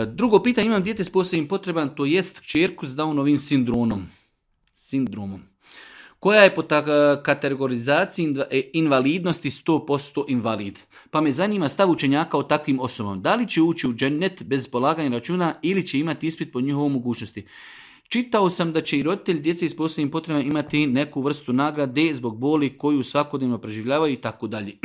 Drugo pitanje, imam dijete s posebnim potrebama, to jest kćerku s Downovim sindromom. Koja je po kategorizaciji invalidnosti 100% invalid. Pa me zanima stav učenjaka o takvim osobama. Da li će ući u džennet bez polaganja računa ili će imati ispit po njihovoj mogućnosti? Čitao sam da će i roditelji djece s posebnim potrebama imati neku vrstu nagrade zbog boli koju svakodnevno preživljavaju i tako dalje.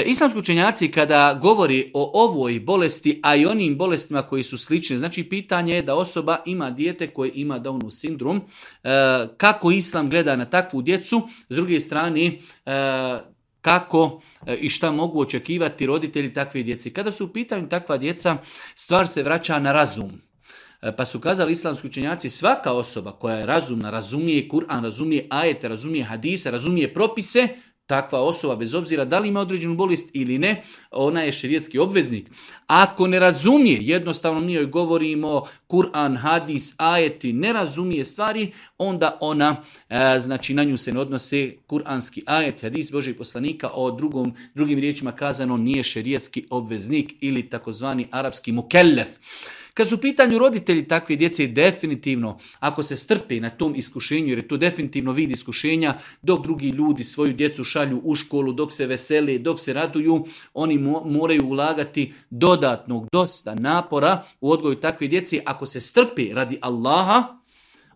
Islamski učenjaci kada govori o ovoj bolesti, a i onim bolestima koji su slične, znači pitanje je da osoba ima dijete koje ima Downov sindrom, kako Islam gleda na takvu djecu, s druge strane kako i šta mogu očekivati roditelji takve djece. Kada su u pitanju takva djeca, stvar se vraća na razum. Pa su kazali islamski učenjaci, svaka osoba koja je razumna, razumije Kur'an, razumije ajete, razumije hadise, razumije propise, takva osoba, bez obzira da li ima određenu bolest ili ne, ona je šerijatski obveznik. Ako ne razumije, jednostavno mi joj govorimo Kur'an, hadis, ajeti, ne razumije stvari, onda ona, znači na nju se ne odnose kuranski ajet, hadis Božih poslanika, o drugim riječima kazano nije šerijatski obveznik ili takozvani arapski mukellef. Kad su u pitanju roditelji takve djece, definitivno, ako se strpe na tom iskušenju, jer je to definitivno vid iskušenja, dok drugi ljudi svoju djecu šalju u školu, dok se vesele, dok se raduju, oni moraju ulagati dosta napora u odgoju takve djece. Ako se strpe radi Allaha,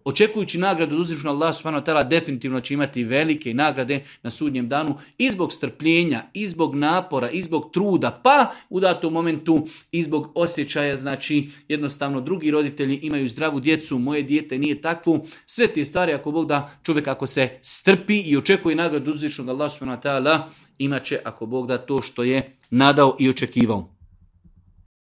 očekujući nagradu od uzvišenog Allaha subhanahu wa ta'ala, definitivno će imati velike nagrade na sudnjem danu i zbog strpljenja, i zbog napora, i zbog truda, pa u datom momentu i zbog osjećaja, znači jednostavno drugi roditelji imaju zdravu djecu, moje dijete nije takvu. Sve te stvari, ako Bog da, čovjek ako se strpi i očekuje nagradu od uzvišenog Allaha subhanahu wa ta'ala, imat će, ako Bog da, to što je nadao i očekivao.